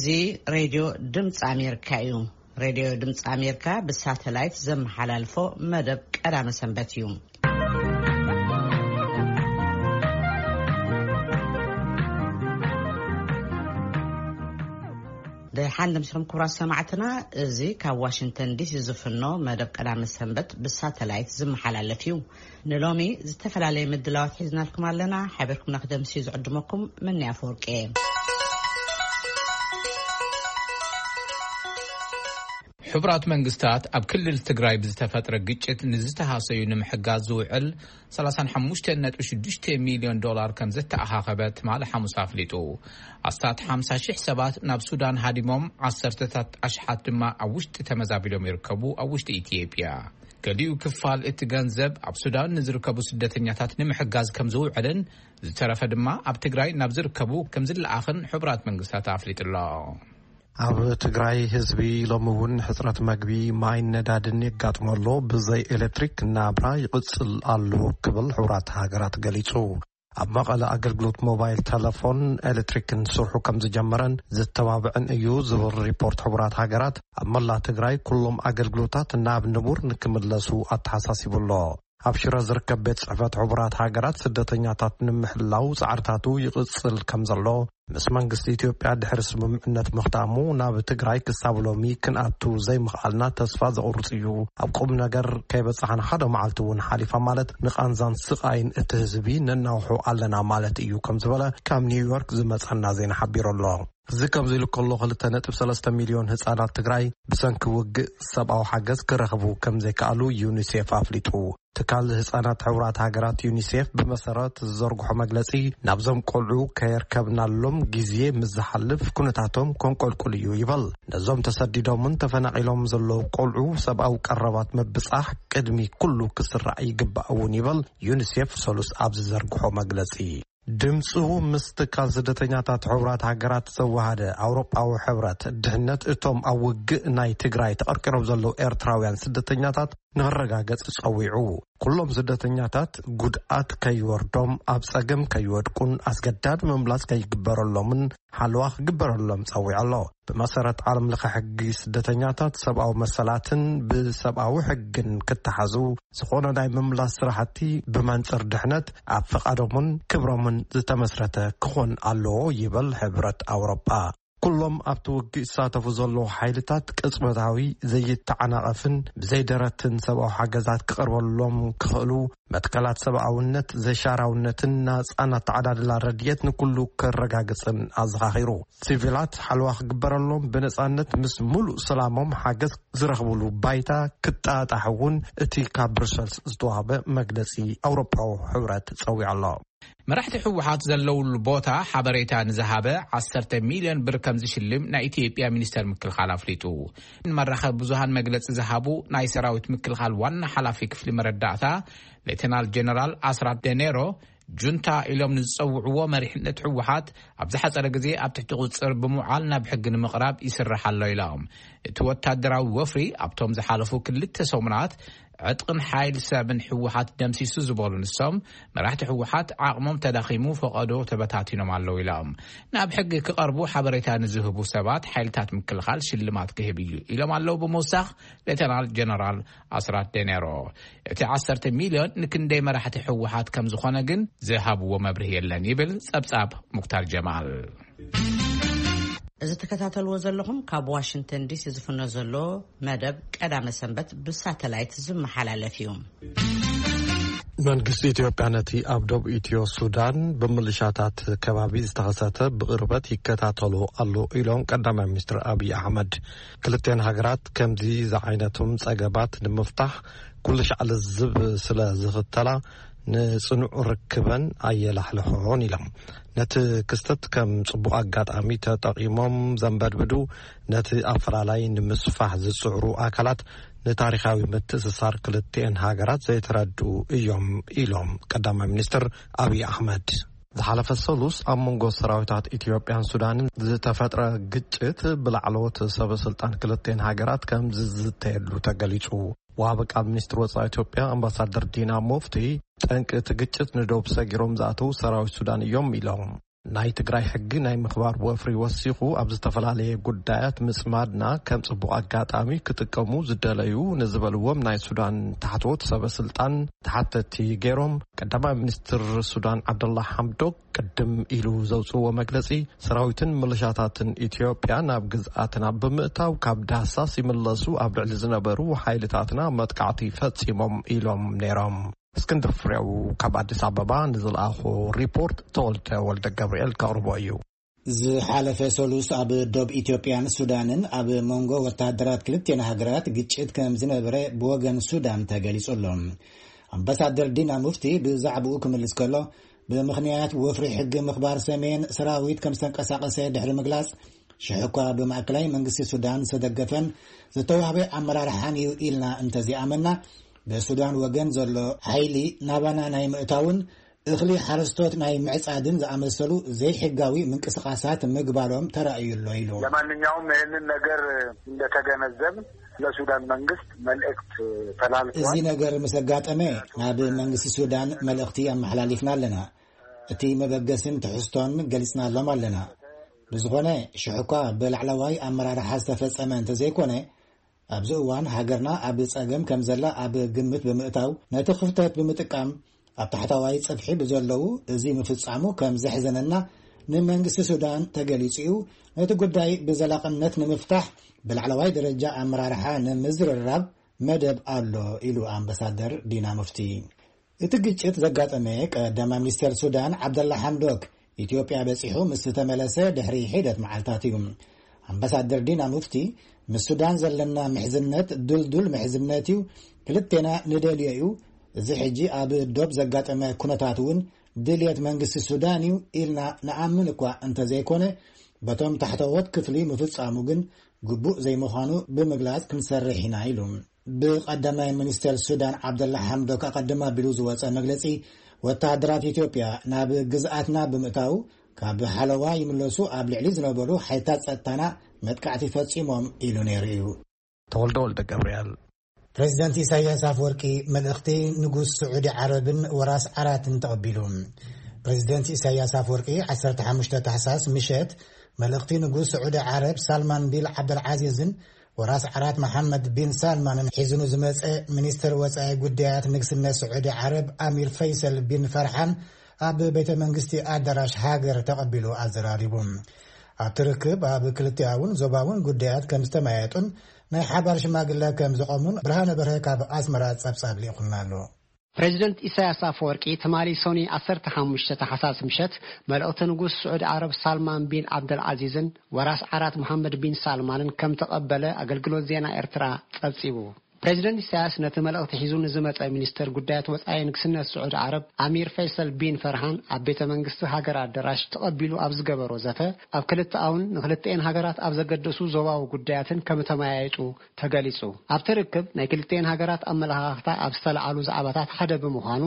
እዚ ሬድዮ ድምፂ ኣሜሪካ እዩ። ሬድዮ ድምፂ ኣሜሪካ ብሳተላይት ዘመሓላልፎ መደብ ቀዳመ ሰንበት እዩ። ደሓን ደምሲኹም ክቡራት ሰማዕትና፣ እዚ ካብ ዋሽንግተን ዲሲ ዝፍኖ መደብ ቀዳመ ሰንበት ብሳተላይት ዝመሓላለፍ እዩ። ንሎሚ ዝተፈላለየ ምድላዋት ሒዝናልኩም ኣለና። ሓቢርኩምና ክደምሲ ዝዕድመኩም መኒ ኣፈወርቂ እየ። ሕቡራት መንግስታት ኣብ ክልል ትግራይ ብዝተፈጥረ ግጭት ንዝተሃሰዩ ንምሕጋዝ ዝውዕል ሰላሳ ሓሙሽተ ነጥቢ ሽዱሽተ ሚልዮን ዶላር ከም ዘተኣኻኸበ ትማሊ ሓሙስ ኣፍሊጡ። ኣስታት ሓምሳ ሺሕ ሰባት ናብ ሱዳን ሃዲሞም፣ ዓሰርተታት ኣሽሓት ድማ ኣብ ውሽጢ ተመዛቢሎም ይርከቡ። ኣብ ውሽጢ ኢትዮጵያ፣ ገሊኡ ክፋል እቲ ገንዘብ ኣብ ሱዳን ንዝርከቡ ስደተኛታት ንምሕጋዝ ከም ዝውዕልን ዝተረፈ ድማ ኣብ ትግራይ ናብ ዝርከቡ ከም ዝለኣኽን ሕቡራት መንግስታት ኣፍሊጡ ኣሎ። ኣብ ትግራይ ህዝቢ ሎሚ እውን ሕፅረት መግቢ፣ ማይን ነዳድን የጋጥሞ ኣሎ። ብዘይ ኤሌክትሪክ ናብራ ይቕፅል ኣሎ ክብል ሕቡራት ሃገራት ገሊፁ። ኣብ መቐለ ኣገልግሎት ሞባይል ተለፎን ኤሌክትሪክን ስርሑ ከም ዝጀመረን ዝተባብዕን እዩ ዝብል ሪፖርት ሕቡራት ሃገራት፣ ኣብ መላ ትግራይ ኩሎም ኣገልግሎታት ናብ ንቡር ንክምለሱ ኣተሓሳሲቡ ኣሎ። ኣብ ሽረ ዝርከብ ቤት ጽሕፈት ሕቡራት ሃገራት ስደተኛታት ንምሕላው ጻዕርታቱ ይቕጽል ከም ዘሎ፣ ምስ መንግስቲ ኢትዮጵያ ድሕሪ ስምምዕነት ምኽታሙ፣ ናብ ትግራይ ክሳብ ሎሚ ክንኣቱ ዘይምኽኣልና ተስፋ ዘቑርጽ እዩ። ኣብ ቁም ነገር ከይበጻሕና ሓደ መዓልቲ እውን ሓሊፋ ማለት ንቓንዛን ስቓይን እቲ ህዝቢ ነናውሖ ኣለና ማለት እዩ ከም ዝበለ ካብ ኒውዮርክ ዝመጸና ዜና ሓቢሩ ኣሎ። እዚ ከምዚ ኢሉ ከሎ፣ ክልተ ነጥቢ ሰለስተ ሚልዮን ህጻናት ትግራይ ብሰንኪ ውግእ ሰብኣዊ ሓገዝ ክረኽቡ ከም ዘይከኣሉ ዩኒሴፍ ኣፍሊጡ። ትካል ህጻናት ሕቡራት ሃገራት ዩኒሴፍ ብመሰረት ዝዘርግሖ መግለጺ፣ ናብዞም ቆልዑ ከየርከብናሎም ግዜ ምስ ዝሓልፍ ኩነታቶም ከንቆልቁል እዩ ይበል። ነዞም ተሰዲዶምን ተፈናቒሎም ዘለዉ ቆልዑ ሰብኣዊ ቀረባት ምብጻሕ ቅድሚ ኩሉ ክስራዕ ይግባእ እውን ይበል ዩኒሴፍ ሰሉስ ኣብ ዝዘርግሖ መግለጺ። ድምጹ ምስ ትካል ስደተኛታት ሕቡራት ሃገራት ዘወሃደ ኣውሮጳዊ ሕብረት፣ ድሕነት እቶም ኣብ ውግእ ናይ ትግራይ ተቐርቂሮም ዘለዉ ኤርትራውያን ስደተኛታት ንኽረጋገጽ ጸዊዑ። ኩሎም ስደተኛታት ጉድኣት ከይወርዶም፣ ኣብ ጸገም ከይወድቁን ኣስገዳድ ምምላስ ከይግበረሎምን ሓለዋ ክግበረሎም ጸዊዑ ኣሎ። ብመሰረት ዓለም ለኸ ሕጊ ስደተኛታት፣ ሰብኣዊ መሰላትን ብሰብኣዊ ሕግን ክተሓዙ፣ ዝኾነ ናይ ምምላስ ስራሕቲ ብመንጽር ድሕነት ኣብ ፍቓዶምን ክብሮምን ዝተመስረተ ክኾን ኣለዎ ይብል ሕብረት ኣውሮጳ። ኩሎም ኣብቲ ውግእ ዝሳተፉ ዘለዉ ሓይልታት ቅጽበታዊ፣ ዘይተዓናቐፍን ብዘይደረትን ሰብኣዊ ሓገዛት ክቐርበሎም ክኽእሉ መትከላት ሰብኣውነት፣ ዘሻራውነትን ናጻን ኣተዓዳድላ ረድኤት ንኩሉ ከረጋግጽን ኣዘኻኺሩ። ሲቪላት ሓለዋ ክግበረሎም፣ ብነጻነት ምስ ሙሉእ ሰላሞም ሓገዝ ዝረኽብሉ ባይታ ክጣጣሕ እውን እቲ ካብ ብሩሰልስ ዝተዋህበ መግለጺ ኣውሮጳዊ ሕብረት ጸዊዑ ኣሎ። መራሕቲ ህወሓት ዘለውሉ ቦታ ሓበሬታ ንዝሃበ ዓሰርተ ሚልዮን ብር ከም ዝሽልም ናይ ኢትዮጵያ ሚኒስተር ምክልኻል ኣፍሊጡ። ንመራኸቢ ብዙሃን መግለጺ ዝሃቡ ናይ ሰራዊት ምክልኻል ዋና ሓላፊ ክፍሊ መረዳእታ ሌተናል ጀነራል ኣስራት ደኔሮ፣ ጁንታ ኢሎም ንዝጸውዕዎ መሪሕነት ህወሓት ኣብ ዝሓጸረ ግዜ ኣብ ትሕቲ ቁጽጽር ብምውዓል ናብ ሕጊ ንምቕራብ ይስራሕ ኣሎ ኢሎም። እቲ ወታደራዊ ወፍሪ ኣብቶም ዝሓለፉ ክልተ ሰሙናት ዕጥቕን ሓይል ሰብን ህወሓት ደምሲሱ ዝበሉ ንሶም፣ መራሕቲ ህወሓት ዓቕሞም ተዳኺሙ፣ ፈቐዶ ተበታቲኖም ኣለዉ ኢሎም። ናብ ሕጊ ክቐርቡ ሓበሬታ ንዝህቡ ሰባት ሓይልታት ምክልኻል ሽልማት ክህብ እዩ ኢሎም ኣለዉ ብምውሳኽ ሌተናል ጀነራል ኣስራት ደኔሮ። እቲ ዓሰርተ ሚልዮን ንክንደይ መራሕቲ ህወሓት ከም ዝኾነ ግን ዝሃብዎ መብርሂ የለን ይብል ጸብጻብ ሙክታር ጀማል። እዚ ትከታተልዎ ዘለኹም ካብ ዋሽንግተን ዲሲ ዝፍኖ ዘሎ መደብ ቀዳመ ሰንበት ብሳተላይት ዝመሓላለፍ እዩ። መንግስቲ ኢትዮጵያ ነቲ ኣብ ደቡብ ኢትዮ ሱዳን ብምልሻታት ከባቢ ዝተኸሰተ ብቕርበት ይከታተሎ ኣሎ ኢሎም ቀዳማይ ሚኒስትር ኣብይ ኣሕመድ። ክልቴን ሃገራት ከምዚ ዝዓይነቶም ጸገማት ንምፍታሕ ኩሉ ሻዕ ልዝብ ስለ ዝኽተላ ንጽኑዕ ርክበን ኣየላሕልሖን ኢሎም። ነቲ ክስተት ከም ጽቡቕ ኣጋጣሚ ተጠቒሞም ዘንበድብዱ፣ ነቲ ኣፈላላይ ንምስፋሕ ዝጽዕሩ ኣካላት ንታሪኻዊ ምትእስሳር ክልቲኤን ሃገራት ዘይተረድኡ እዮም ኢሎም ቀዳማይ ሚኒስትር ኣብይ ኣሕመድ። ዝሓለፈ ሰሉስ ኣብ መንጎ ሰራዊታት ኢትዮጵያን ሱዳንን ዝተፈጥረ ግጭት ብላዕለዎት ሰበ ስልጣን ክልቲኤን ሃገራት ከም ዝዝተየሉ ተገሊጹ። ወሃቢ ቃል ሚኒስትር ወጻኢ ኢትዮጵያ ኣምባሳደር ዲና ሙፍቲ፣ ጠንቂ እቲ ግጭት ንዶብ ሰጊሮም ዝኣተዉ ሰራዊት ሱዳን እዮም ኢሎም። ናይ ትግራይ ሕጊ ናይ ምኽባር ወፍሪ ወሲኹ፣ ኣብ ዝተፈላለየ ጉዳያት ምጽማድና ከም ጽቡቕ ኣጋጣሚ ክጥቀሙ ዝደለዩ ንዝበልዎም ናይ ሱዳን ታሕተዎት ሰበ ስልጣን ተሓተቲ ገይሮም። ቀዳማይ ሚኒስትር ሱዳን ዓብደላ ሓምዶክ ቅድም ኢሉ ዘውፅዎ መግለፂ፣ ሰራዊትን ምልሻታትን ኢትዮጵያ ናብ ግዝኣትና ብምእታው ካብ ዳህሳስ ይምለሱ ኣብ ልዕሊ ዝነበሩ ሓይልታትና መጥቃዕቲ ፈፂሞም ኢሎም ነይሮም። እስክንድር ፍሬው ካብ ኣዲስ ኣበባ ንዝለኣኾ ሪፖርት ተወልደ ወልደ ገብርኤል ከቕርቦ እዩ። ዝሓለፈ ሰሉስ ኣብ ዶብ ኢትዮጵያን ሱዳንን ኣብ መንጎ ወታደራት ክልቲኤን ሃገራት ግጭት ከም ዝነበረ ብወገን ሱዳን ተገሊጹ ኣሎ። ኣምባሳደር ዲና ሙፍቲ ብዛዕባኡ ክምልስ ከሎ፣ ብምኽንያት ወፍሪ ሕጊ ምኽባር ሰሜን ሰራዊት ከም ዝተንቀሳቐሰ ድሕሪ ምግላጽ፣ ሽሕ እኳ ብማእከላይ መንግስቲ ሱዳን ዝተደገፈን ዝተዋህበ ኣመራርሓን እዩ ኢልና እንተዚኣመና፣ ብሱዳን ወገን ዘሎ ሓይሊ ናባና ናይ ምእታውን እኽሊ ሓረስቶት ናይ ምዕጻድን ዝኣመሰሉ ዘይሕጋዊ ምንቅስቓሳት ምግባሮም ተራእዩ ኣሎ ኢሉ። ለማንኛውም ይህንን ነገር እንደተገነዘብ ለሱዳን መንግስት መልእክት ተላልፏል። እዚ ነገር ምስ ኣጋጠመ ናብ መንግስቲ ሱዳን መልእኽቲ ኣመሓላሊፍና ኣለና። እቲ መበገስን ትሕዝቶን ገሊጽናሎም ኣለና። ብዝኾነ ሽሕ እኳ ብላዕለዋይ ኣመራርሓ ዝተፈጸመ እንተዘይኮነ፣ ኣብዚ እዋን ሃገርና ኣብ ጸገም ከም ዘላ ኣብ ግምት ብምእታው፣ ነቲ ክፍተት ብምጥቃም ኣብ ታሕተዋይ ጽፍሒ ብዘለዉ እዚ ምፍጻሙ ከም ዘሕዘነና ንመንግስቲ ሱዳን ተገሊጹ እዩ። ነቲ ጉዳይ ብዘላቕነት ንምፍታሕ ብላዕለዋይ ደረጃ ኣመራርሓ ንምዝርራብ መደብ ኣሎ ኢሉ ኣምባሳደር ዲና ሙፍቲ። እቲ ግጭት ዘጋጠመ ቀዳማይ ሚኒስተር ሱዳን ዓብደላ ሓምዶክ ኢትዮጵያ በጺሑ ምስ ዝተመለሰ ድሕሪ ሒደት መዓልታት እዩ። ኣምባሳደር ዲና ሙፍቲ ምስ ሱዳን ዘለና ምሕዝነት ድልዱል ምሕዝነት እዩ፣ ክልቴና ንደልዮ እዩ። እዚ ሕጂ ኣብ ዶብ ዘጋጠመ ኩነታት እውን ድልየት መንግስቲ ሱዳን እዩ ኢልና ንኣምን እኳ እንተዘይኮነ፣ በቶም ታሕተዎት ክፍሊ ምፍጻሙ ግን ግቡእ ዘይምዃኑ ብምግላጽ ክንሰርሕ ኢና ኢሉ። ብቐዳማይ ሚኒስተር ሱዳን ዓብደላ ሓምዶክ ኣቐድም ኣቢሉ ዝወጸ መግለጺ፣ ወተሃደራት ኢትዮጵያ ናብ ግዝኣትና ብምእታው ካብ ሓለዋ ይምለሱ ኣብ ልዕሊ ዝነበሩ ሓይልታት ጸጥታና መጥቃዕቲ ፈጺሞም ኢሉ ነይሩ እዩ። ተወልደ ወልደ ገብርኤል። ፕሬዚደንት ኢሳያስ ኣፈወርቂ መልእኽቲ ንጉስ ስዑዲ ዓረብን ወራስ ዓራትን ተቐቢሉ። ፕሬዚደንት ኢሳያስ ኣፈወርቂ ዓሰርተ ሓሙሽተ ታሕሳስ ምሸት መልእኽቲ ንጉስ ስዑዲ ዓረብ ሳልማን ቢል ዓብደልዓዚዝን ወራስ ዓራት መሓመድ ቢን ሳልማንን ሒዙ ንዝመጸ ሚኒስትር ወጻኢ ጉዳያት ንግስነት ስዑዲ ዓረብ ኣሚር ፈይሰል ቢን ፈርሓን ኣብ ቤተ መንግስቲ ኣዳራሽ ሃገር ተቐቢሉ ኣዘራሪቡ። ኣብቲ ርክብ ኣብ ክልቲኣውን ዞባውን ጉዳያት ከም ዝተመያየጡን ናይ ሓባር ሽማግለ ከም ዘቐሙን ብርሃነ በርሀ ካብ ኣስመራ ጸብጻብ ልኢኹልና ኣሎ። ፕሬዚደንት ኢሳያስ ኣፈወርቂ ትማሊ ሶኒ ዓሰርተ ሓሙሽተ ታሕሳስ ምሸት መልእኽቲ ንጉስ ስዑዲ ዓረብ ሳልማን ቢን ዓብደልዓዚዝን ወራስ ዓራት መሓመድ ቢን ሳልማንን ከም ተቐበለ ኣገልግሎት ዜና ኤርትራ ጸብጺቡ። ፕሬዚደንት ኢሳያስ ነቲ መልእኽቲ ሒዙ ንዝመጸ ሚኒስተር ጉዳያት ወጻኢ ንግስነት ስዑዲ ዓረብ ኣሚር ፈይሰል ቢን ፈርሃን ኣብ ቤተ መንግስቲ ሃገር ኣዳራሽ ተቐቢሉ ኣብ ዝገበሮ ዘተ፣ ኣብ ክልተኣውን ንክልተኤን ሃገራት ኣብ ዘገደሱ ዞባዊ ጉዳያትን ከም ተመያየጡ ተገሊጹ። ኣብቲ ርክብ ናይ ክልተኤን ሃገራት ኣመለኻኽታ ኣብ ዝተለዓሉ ዛዕባታት ሓደ ብምዃኑ፣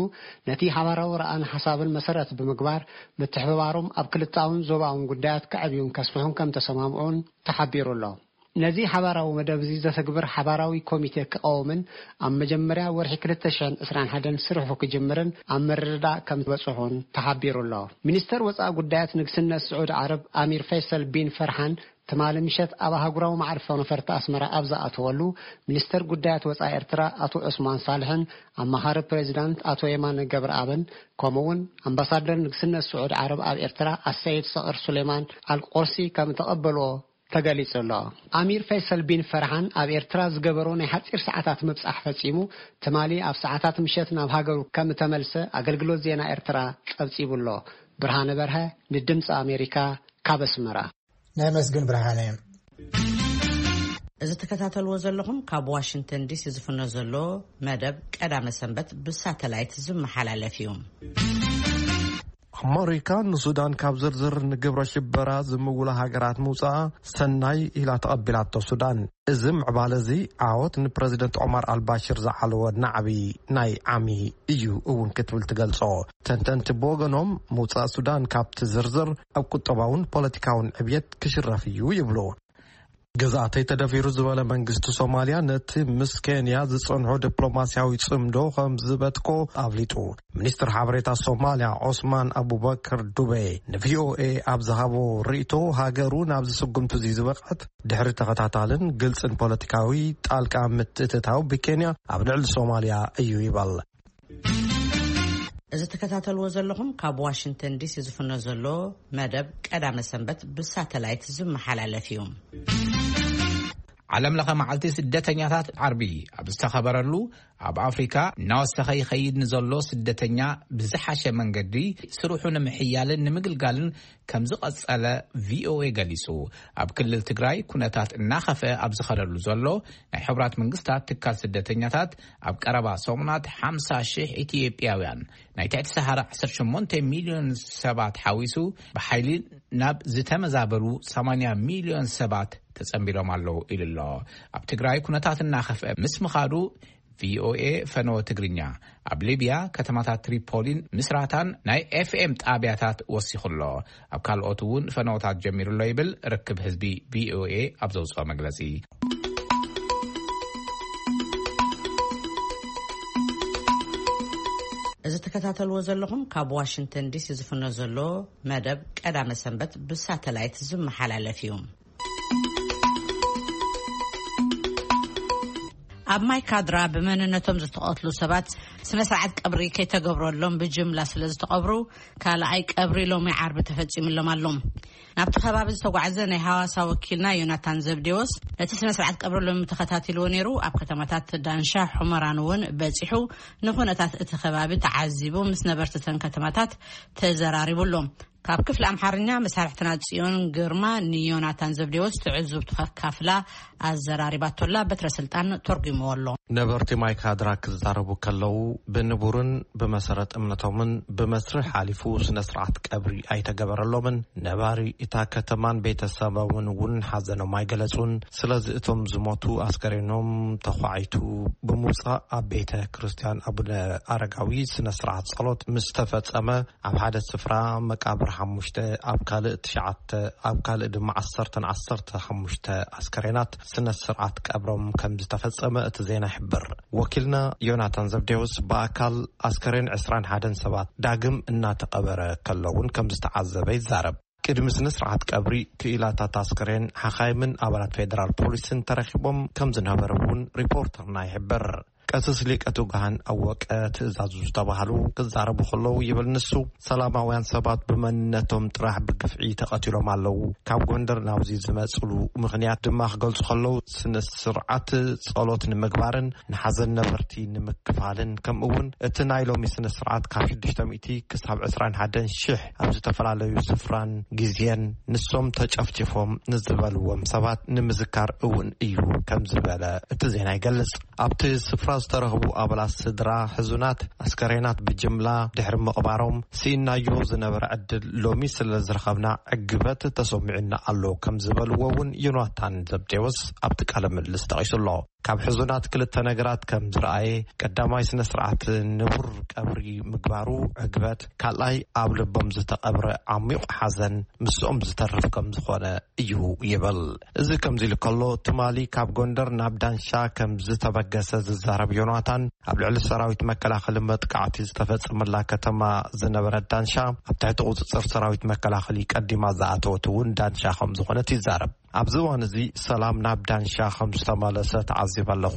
ነቲ ሓባራዊ ረኣን ሓሳብን መሰረት ብምግባር ምትሕብባሮም ኣብ ክልተኣውን ዞባውን ጉዳያት ከዕብዩን ከስፍሑን ከም ተሰማምዑን ተሓቢሩ ኣሎ። ነዚ ሓባራዊ መደብ እዚ ዘተግብር ሓባራዊ ኮሚቴ ክቐውምን ኣብ መጀመርያ ወርሒ ክልተ ሽሕን ዕስራን ሓደን ስርሑ ክጅምርን ኣብ ምርድዳእ ከም ዝበጽሑን ተሓቢሩ ኣሎ። ሚኒስተር ወጻኢ ጉዳያት ንግስነት ስዑዲ ዓረብ ኣሚር ፈይሰል ቢን ፈርሓን ትማሊ ምሸት ኣብ ኣህጉራዊ መዓርፎ ነፈርቲ ኣስመራ ኣብ ዝኣተወሉ፣ ሚኒስተር ጉዳያት ወጻኢ ኤርትራ ኣቶ ዑስማን ሳልሕን ኣማኻሪ ፕሬዚዳንት ኣቶ የማነ ገብረኣብን፣ ከምኡ'ውን ኣምባሳደር ንግስነት ስዑዲ ዓረብ ኣብ ኤርትራ ኣሰይድ ሰቕር ሱሌማን ኣልቆርሲ ከም ተቐበልዎ ተገሊጹ ኣሎ። ኣሚር ፈይሰል ቢን ፈርሃን ኣብ ኤርትራ ዝገበሮ ናይ ሓጺር ሰዓታት ምብጻሕ ፈጺሙ፣ ትማሊ ኣብ ሰዓታት ምሸት ናብ ሃገሩ ከም እተመልሰ ኣገልግሎት ዜና ኤርትራ ጸብጺቡ ኣሎ። ብርሃነ በርሀ ንድምጺ ኣሜሪካ ካብ ኣስመራ። ነመስግን ብርሃነ። እዚ ትከታተልዎ ዘለኹም ካብ ዋሽንግተን ዲሲ ዝፍኖ ዘሎ መደብ ቀዳመ ሰንበት ብሳተላይት ዝመሓላለፍ እዩ። ኣመሪካ ንሱዳን ካብ ዝርዝር ንግብረ ሽበራ ዝምውላ ሃገራት ምውፃኣ ሰናይ ኢላ ተቐቢላቶ ሱዳን። እዚ ምዕባለ እዚ ዓወት ንፕረዚደንት ዖማር ኣልባሽር ዝዓለወ ናዕቢ ናይ ዓሚ እዩ እውን ክትብል ትገልጾ። ተንተንቲ ብወገኖም ምውፃእ ሱዳን ካብቲ ዝርዝር ኣብ ቁጠባውን ፖለቲካውን ዕብየት ክሽረፍ እዩ ይብሉ። ግዝኣተይ ተደፊሩ ዝበለ መንግስቲ ሶማልያ፣ ነቲ ምስ ኬንያ ዝጸንሖ ዲፕሎማስያዊ ጽምዶ ከም ዝበትኮ ኣፍሊጡ። ሚኒስትር ሓበሬታ ሶማልያ ዖስማን ኣቡበክር ዱቤ ንቪኦኤ ኣብ ዝሃቦ ርእይቶ፣ ሃገሩ ናብዚ ስጉምቲ እዚ ዝበቕዐት ድሕሪ ተኸታታልን ግልጽን ፖለቲካዊ ጣልቃ ምትእትታው ብኬንያ ኣብ ልዕሊ ሶማልያ እዩ ይበል። እዚ ትከታተልዎ ዘለኹም ካብ ዋሽንግተን ዲሲ ዝፍኖ ዘሎ መደብ ቀዳመ ሰንበት ብሳተላይት ዝመሓላለፍ እዩ። ዓለም ለኸ መዓልቲ ስደተኛታት ዓርቢ ኣብ ዝተኸበረሉ፣ ኣብ ኣፍሪካ እናወሰኸ ይኸይድ ንዘሎ ስደተኛ ብዝሓሸ መንገዲ ስርሑ ንምሕያልን ንምግልጋልን ከም ዝቐጸለ ቪኦኤ ገሊጹ። ኣብ ክልል ትግራይ ኩነታት እናኸፍአ ኣብ ዝኸደሉ ዘሎ፣ ናይ ሕቡራት መንግስታት ትካል ስደተኛታት ኣብ ቀረባ ሰሙናት ሓምሳ ሺሕ ኢትዮጵያውያን፣ ናይ ትሕቲ ሰሃራ ዓሰርተ ሸሞንተ ሚልዮን ሰባት ሓዊሱ፣ ብሓይሊ ናብ ዝተመዛበሉ ሰማንያ ሚልዮን ሰባት ተጸንቢሮም ኣለዉ ኢሉ ኣሎ። ኣብ ትግራይ ኩነታት እናኸፍአ ምስ ምኻዱ፣ ቪኦኤ ፈነወ ትግርኛ ኣብ ሊብያ ከተማታት ትሪፖሊን ምስራታን ናይ ኤፍኤም ጣብያታት ወሲኹ ኣሎ። ኣብ ካልኦት እውን ፈነወታት ጀሚሩ ኣሎ ይብል ርክብ ህዝቢ ቪኦኤ ኣብ ዘውፅኦ መግለፂ። እዚ ትከታተልዎ ዘለኹም ካብ ዋሽንግተን ዲሲ ዝፍኖ ዘሎ መደብ ቀዳመ ሰንበት ብሳተላይት ዝመሓላለፍ እዩ። ኣብ ማይ ካድራ ብመንነቶም ዝተቐትሉ ሰባት ስነ ስርዓት ቀብሪ ከይተገብረሎም ብጅምላ ስለ ዝተቐብሩ፣ ካልኣይ ቀብሪ ሎሚ ዓርቢ ተፈጺሙሎም ኣሎ። ናብቲ ከባቢ ዝተጓዕዘ ናይ ሃዋሳ ወኪልና ዮናታን ዘብዴዎስ ነቲ ስነ ስርዓት ቀብሪ ሎሚ ተኸታቲልዎ ነይሩ። ኣብ ከተማታት ዳንሻ፣ ሑመራን እውን በጺሑ፣ ንኹነታት እቲ ከባቢ ተዓዚቡ፣ ምስ ነበርቲ እተን ከተማታት ተዘራሪቡ ኣሎ። ካብ ክፍሊ ኣምሓርኛ መሳርሕትና ጽዮን ግርማ ንዮናታን ዘብዴዎስ ትዕዝብቱ ከካፍላ ኣዘራሪባቶላ። በትረ ስልጣን ተርጉምዎ ኣሎ። ነበርቲ ማይ ካድራ ክዛረቡ ከለዉ፣ ብንቡርን ብመሰረት እምነቶምን ብመስርሕ ሓሊፉ ስነ ስርዓት ቀብሪ ኣይተገበረሎምን። ነባሪ እታ ከተማን ቤተሰቦምን እውን ሓዘኖም ኣይገለጹን። ስለዚ እቶም ዝሞቱ ኣስከሬኖም ተዃዒቱ ብምውጻእ ኣብ ቤተ ክርስቲያን ኣቡነ ኣረጋዊ ስነ ስርዓት ጸሎት ምስ ተፈጸመ፣ ኣብ ሓደ ስፍራ መቃብር ሓሙሽተ፣ ኣብ ካልእ ትሽዓተ፣ ኣብ ካልእ ድማ ዓሰርተን ዓሰርተ ሓሙሽተ ኣስከሬናት ስነ ስርዓት ቀብሮም ከም ዝተፈጸመ እቲ ዜና ይሕብር። ወኪልና ዮናታን ዘብዴዎስ ብኣካል ኣስከሬን ዕስራን ሓደን ሰባት ዳግም እናተቐበረ ከሎ እውን ከም ዝተዓዘበ ይዛረብ። ቅድሚ ስነ ስርዓት ቀብሪ ክኢላታት ኣስከሬን፣ ሓኻይምን ኣባላት ፌደራል ፖሊስን ተረኺቦም ከም ዝነበረ እውን ሪፖርተርና ይሕብር። ቀሲስ ሊቀ ትጉሃን ኣወቀ ትእዛዙ ዝተባህሉ ክዛረቡ ከለዉ ይብል ንሱ፣ ሰላማውያን ሰባት ብመንነቶም ጥራሕ ብግፍዒ ተቐቲሎም ኣለዉ። ካብ ጎንደር ናብዚ ዝመጽሉ ምኽንያት ድማ ክገልጹ ከለዉ፣ ስነ ስርዓት ጸሎት ንምግባርን ንሓዘን ነበርቲ ንምክፋልን፣ ከምኡ እውን እቲ ናይ ሎሚ ስነ ስርዓት ካብ ሽዱሽተ ሚእቲ ክሳብ ዕስራን ሓደን ሽሕ ኣብ ዝተፈላለዩ ስፍራን ግዜን ንሶም ተጨፍጭፎም ንዝበልዎም ሰባት ንምዝካር እውን እዩ ከም ዝበለ እቲ ዜና ይገልጽ። ኣብቲ ስፍራ ዝተረኽቡ ኣባላት ስድራ ሕዙናት፣ ኣስከሬናት ብጅምላ ድሕሪ ምቕባሮም፣ ስኢናዮ ዝነበረ ዕድል ሎሚ ስለ ዝረኸብና ዕግበት ተሰሚዑና ኣሎ ከም ዝበልዎ እውን ዮናታን ዘብዴዎስ ኣብቲ ቃለ ምልልስ ጠቒሱ ኣሎ። ካብ ሕዙናት ክልተ ነገራት ከም ዝረኣየ፣ ቀዳማይ ስነ ስርዓት ንቡር ቀብሪ ምግባሩ ዕግበት፣ ካልኣይ ኣብ ልቦም ዝተቐብረ ዓሚቕ ሓዘን ምስኦም ዝተርፍ ከም ዝኾነ እዩ ይብል። እዚ ከምዚ ኢሉ ከሎ፣ ትማሊ ካብ ጎንደር ናብ ዳንሻ ከም ዝተበገሰ ዝዛረብ ዮናታን፣ ኣብ ልዕሊ ሰራዊት መከላኸሊ መጥቃዕቲ ዝተፈጸመላ ከተማ ዝነበረት ዳንሻ፣ ኣብ ትሕቲ ቁጽጽር ሰራዊት መከላኸሊ ቀዲማ ዝኣተወት እውን ዳንሻ ከም ዝኾነት ይዛረብ። ኣብዚ እዋን እዚ ሰላም ናብ ዳንሻ ከም ዝተመለሰ ተዓዚበ ኣለኹ።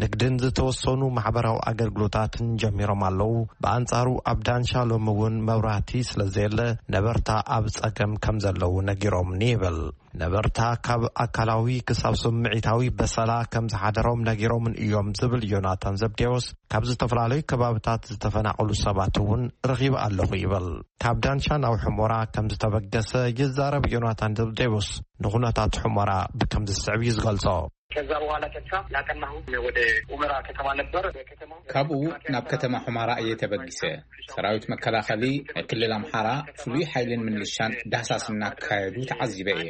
ንግድን ዝተወሰኑ ማሕበራዊ ኣገልግሎታትን ጀሚሮም ኣለዉ። ብኣንጻሩ ኣብ ዳንሻ ሎሚ እውን መብራህቲ ስለ ዘየለ ነበርታ ኣብ ጸገም ከም ዘለዉ ነጊሮምኒ ይብል። ነበርታ ካብ ኣካላዊ ክሳብ ስምዒታዊ በሰላ ከም ዝሓደሮም ነጊሮምን እዮም ዝብል ዮናታን ዘብዴዎስ፣ ካብ ዝተፈላለዩ ከባብታት ዝተፈናቐሉ ሰባት እውን ረኺበ ኣለኹ ይብል። ካብ ዳንሻ ናብ ሑመራ ከም ዝተበገሰ ይዛረብ ዮናታን ዘብዴዎስ፣ ንኹነታት ሑመራ ብከምዚ ዝስዕብ እዩ ዝገልጾ። ከዛ በኋላ ቀጥታ ያቀናሁ ወደ ኡመራ ከተማ ነበር። ከተማ ካብኡ ናብ ከተማ ሑመራ እየ ተበጊሰ። ሰራዊት መከላኸሊ ናይ ክልል ኣምሓራ ፍሉይ ሓይልን ምልሻን ዳህሳስ እናካየዱ ተዓዚበ እየ።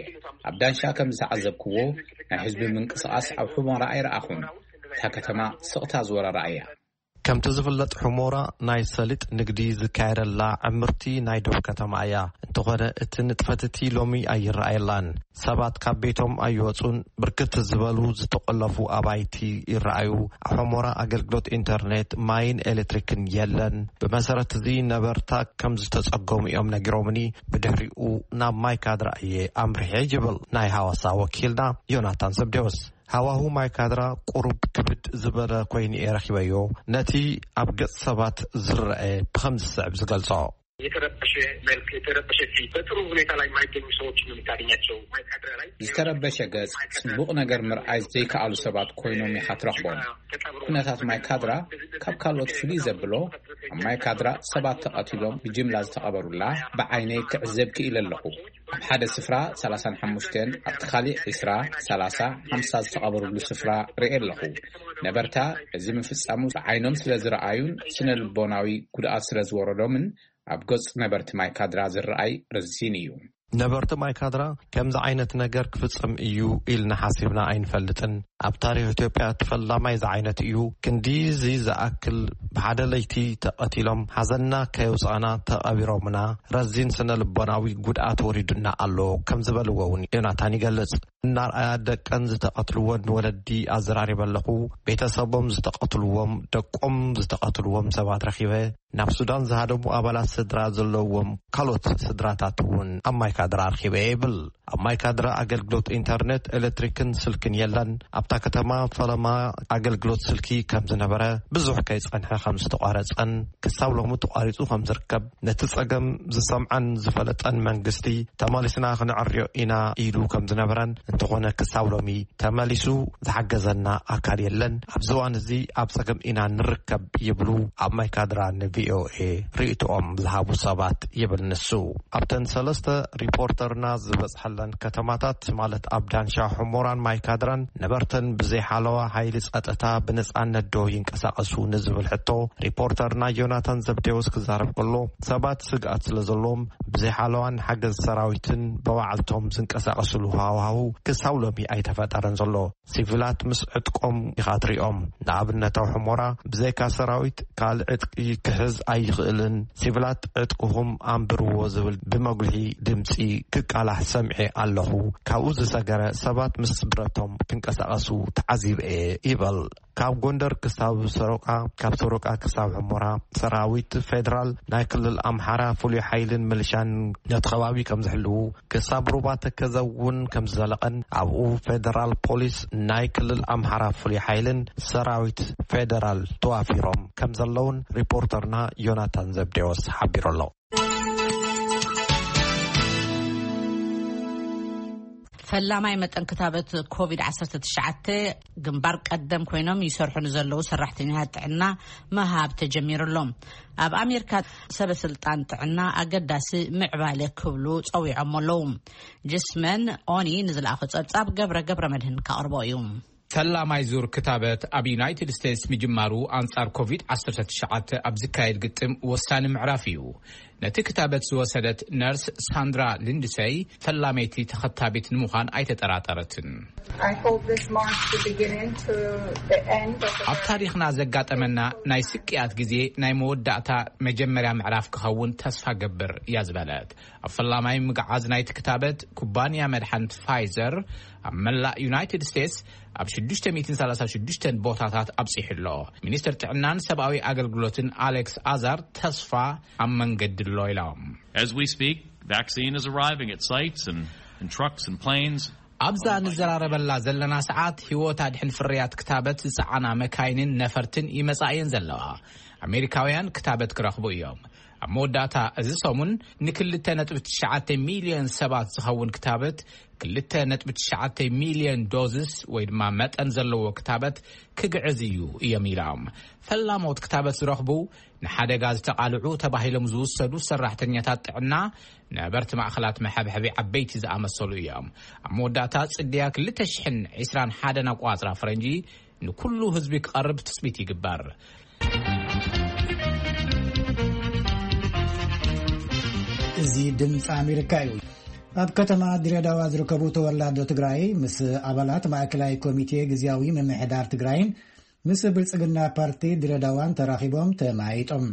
ኣብ ዳንሻ ከም ዝተዓዘብክዎ፣ ናይ ህዝቢ ምንቅስቓስ ኣብ ሑመራ ኣይረኣኹን። እታ ከተማ ስቕታ ዝወረራ እያ። ከምቲ ዝፍለጥ፣ ሑሞራ ናይ ሰሊጥ ንግዲ ዝካየደላ ዕምርቲ ናይ ዶብ ከተማ እያ። እንተኾነ፣ እቲ ንጥፈትቲ ሎሚ ኣይረኣየላን። ሰባት ካብ ቤቶም ኣይወጹን። ብርክት ዝበሉ ዝተቆለፉ ኣባይቲ ይረኣዩ። ኣብ ሑሞራ ኣገልግሎት ኢንተርኔት፣ ማይን ኤሌክትሪክን የለን። ብመሰረት እዚ፣ ነበርታ ከም ዝተጸገሙ እዮም ነጊሮምኒ። ብድሕሪኡ ናብ ማይ ካድራ እየ ኣምሪሐ፣ ይብል ናይ ሃዋሳ ወኪልና ዮናታን ዘብዴዎስ። ሃዋሁ ማይ ካድራ ቁሩብ ክብድ ዝበለ ኮይኑ እየ ረኺበዮ። ነቲ ኣብ ገጽ ሰባት ዝረአ ብኸምዚ ዝስዕብ ዝገልጾ። የተረበሸ መልክ፣ የተረበሸ ፊት፣ በጥሩ ሁኔታ ላይ የማይገኙ ሰዎች ነው የምታገኛቸው። ማይ ካድራ ላይ ዝተረበሸ ገጽ፣ ጽቡቕ ነገር ምርኣይ ዘይከኣሉ ሰባት ኮይኖም ኢኻ ትረኽቦም። ኩነታት ማይ ካድራ ካብ ካልኦት ፍልይ ዘብሎ፣ ኣብ ማይ ካድራ ሰባት ተቐቲሎም ብጅምላ ዝተቐበሩላ ብዓይነይ ክዕዘብ ክኢለ ኣለኹ። ኣብ ሓደ ስፍራ ሰላሳን ሓሙሽተን፣ ኣብቲ ካሊእ ዕስራ፣ ሰላሳ፣ ሓምሳ ዝተቐበሩሉ ስፍራ ርኤ ኣለኹ። ነበርታ እዚ ምፍጻሙ ብዓይኖም ስለ ዝረኣዩን ስነ ልቦናዊ ጉድኣት ስለ ዝወረዶምን፣ ኣብ ገጽ ነበርቲ ማይ ካድራ ዝረኣይ ረዚን እዩ። ነበርቲ ማይ ካድራ ከምዚ ዓይነት ነገር ክፍጸም እዩ ኢልና ሓሲብና ኣይንፈልጥን። ኣብ ታሪኽ ኢትዮጵያ እቲ ፈላማይ ዝዓይነት እዩ። ክንዲዚ ዝኣክል ብሓደ ለይቲ ተቐቲሎም፣ ሓዘንና ከየውጻእና ተቐቢሮምና፣ ረዚን ስነ ልቦናዊ ጉድኣት ወሪዱና ኣሎ፣ ከም ዝበልዎ እውን ዮናታን ይገልጽ። እናርኣያ ደቀን ዝተቐትልወን ወለዲ ኣዘራሪበ ኣለኹ። ቤተሰቦም ዝተቐትልዎም፣ ደቆም ዝተቐትልዎም ሰባት ረኺበ። ናብ ሱዳን ዝሃደሙ ኣባላት ስድራ ዘለዎም ካልኦት ስድራታት እውን ኣብ ማይ ካድራ ኣርኪበ ይብል። ኣብ ማይ ካድራ ኣገልግሎት ኢንተርኔት፣ ኤሌክትሪክን ስልክን የለን። ኣብታ ከተማ ፈለማ ኣገልግሎት ስልኪ ከም ዝነበረ፣ ብዙሕ ከይጸንሐ ከም ዝተቋረጸን ክሳብ ሎሚ ተቋሪጹ ከም ዝርከብ ነቲ ጸገም ዝሰምዐን ዝፈለጠን መንግስቲ፣ ተመሊስና ክንዕርዮ ኢና ኢሉ ከም ዝነበረን፣ እንተኾነ ክሳብ ሎሚ ተመሊሱ ዝሓገዘና ኣካል የለን። ኣብዚ እዋን እዚ ኣብ ጸገም ኢና ንርከብ ይብሉ ኣብ ማይ ካድራ ንቪኦኤ ርእይቶኦም ዝሃቡ ሰባት ይብል ንሱ። ኣብተን ሰለስተ ሪፖርተርና ዝበጽሐለን ከተማታት፣ ማለት ኣብ ዳንሻ፣ ሑሞራን ማይ ካድራን፣ ነበርተን ብዘይ ሓለዋ ሓይሊ ጸጥታ ብነጻነት ዶ ይንቀሳቐሱ ንዝብል ሕቶ፣ ሪፖርተርና ዮናታን ዘብዴዎስ ክዛረብ ከሎ፣ ሰባት ስግኣት ስለ ዘለዎም፣ ብዘይ ሓለዋን ሓገዝ ሰራዊትን ብባዕልቶም ዝንቀሳቐስሉ ሃዋህው ክሳብ ሎሚ ኣይተፈጠረን ዘሎ። ሲቪላት ምስ ዕጥቆም ኢኻ ትሪኦም። ንኣብነት፣ ኣብ ሑሞራ ብዘይካ ሰራዊት ካልእ ዕጥቂ ክሕዝ ኣይኽእልን። ሲቪላት ዕጥቅኹም ኣንብርዎ ዝብል ብመጉልሒ ድምፂ ክቃላሕ ሰምዔ ኣለኹ። ካብኡ ዝሰገረ፣ ሰባት ምስ ብረቶም ክንቀሳቐሱ ተዓዚበ እየ ይበል። ካብ ጎንደር ክሳብ ሰሮቃ፣ ካብ ሰሮቃ ክሳብ ሑሞራ፣ ሰራዊት ፌደራል፣ ናይ ክልል ኣምሓራ ፍሉይ ሓይልን ምልሻን ነቲ ከባቢ ከም ዝሕልዉ፣ ክሳብ ሩባ ተከዘ እውን ከም ዝዘለቐን፣ ኣብኡ ፌደራል ፖሊስ፣ ናይ ክልል ኣምሓራ ፍሉይ ሓይልን ሰራዊት ፌደራል ተዋፊሮም ከም ዘለውን ሪፖርተርና ዮናታን ዘብዴዎስ ሓቢሩ ኣሎ። ፈላማይ መጠን ክታበት ኮቪድ ዓሰርተ ትሽዓተ ግንባር ቀደም ኮይኖም ይሰርሑ ንዘለዉ ሰራሕተኛታት ጥዕና ምሃብ ተጀሚሩ ኣሎ። ኣብ ኣሜሪካ፣ ሰበ ስልጣን ጥዕና ኣገዳሲ ምዕባለ ክብሉ ጸዊዖም ኣለዉ። ጅስመን ኦኒ ንዝለኣኾ ጸብጻብ ገብረ ገብረ መድህን ካቕርቦ እዩ። ፈላማይ ዙር ክታበት ኣብ ዩናይትድ ስቴትስ ምጅማሩ ኣንጻር ኮቪድ ዓሰርተ ትሽዓተ ኣብ ዝካየድ ግጥም ወሳኒ ምዕራፍ እዩ። ነቲ ክታበት ዝወሰደት ነርስ ሳንድራ ሊንድሰይ ፈላመይቲ ተኸታቢት ንምዃን ኣይተጠራጠረትን። I hope this marks the beginning to the end of the ኣብ ታሪኽና ዘጋጠመና ናይ ስቅያት ግዜ ናይ መወዳእታ መጀመርያ ምዕራፍ ክኸውን ተስፋ ገብር እያ ዝበለት። ኣብ ፈላማይ ምግዓዝ ናይቲ ክታበት ኩባንያ መድሓኒት ፋይዘር ኣብ መላእ ዩናይትድ ስቴትስ ኣብ ሽዱሽተ ሚእትን ሰላሳ ሽዱሽተን ቦታታት ኣብጺሑ ኣሎ። ሚኒስትር ጥዕናን ሰብኣዊ ኣገልግሎትን ኣሌክስ ኣዛር ተስፋ ኣብ መንገዲ ኣሎ ኢሎም። As we speak, vaccine is arriving at sites and, and trucks and planes. ኣብዛ ንዘራረበላ ዘለና ሰዓት፣ ህይወት ኣድሕን ፍርያት ክታበት ዝጸዓና መካይንን ነፈርትን ይመጻ እየን ዘለዋ። ኣሜሪካውያን ክታበት ክረኽቡ እዮም። ኣብ መወዳእታ እዚ ሰሙን ንክልተ ነጥቢ ትሽዓተ ሚልዮን ሰባት ዝኸውን ክታበት፣ ክልተ ነጥቢ ትሽዓተ ሚልዮን ዶዝስ ወይ ድማ መጠን ዘለዎ ክታበት ክግዕዝ እዩ እዮም ኢሎም። ፈላሞት ክታበት ዝረኽቡ ንሓደጋ ዝተቓልዑ ተባሂሎም ዝውሰዱ ሰራሕተኛታት ጥዕና፣ ነበርቲ ማእኸላት መሐብሐቢ ዓበይቲ ዝኣመሰሉ እዮም። ኣብ መወዳእታ ጽድያ ክልተ ሽሕን ዕስራን ሓደን ኣቋጽራ ፈረንጂ ንኩሉ ህዝቢ ክቐርብ ትጽቢት ይግበር። እዚ ድምፂ ኣሜሪካ እዩ። ኣብ ከተማ ድሬዳዋ ዝርከቡ ተወላዶ ትግራይ ምስ ኣባላት ማእከላይ ኮሚቴ ግዝያዊ ምምሕዳር ትግራይን ምስ ብልጽግና ፓርቲ ድሬዳዋን ተራኺቦም ተመያይጦም።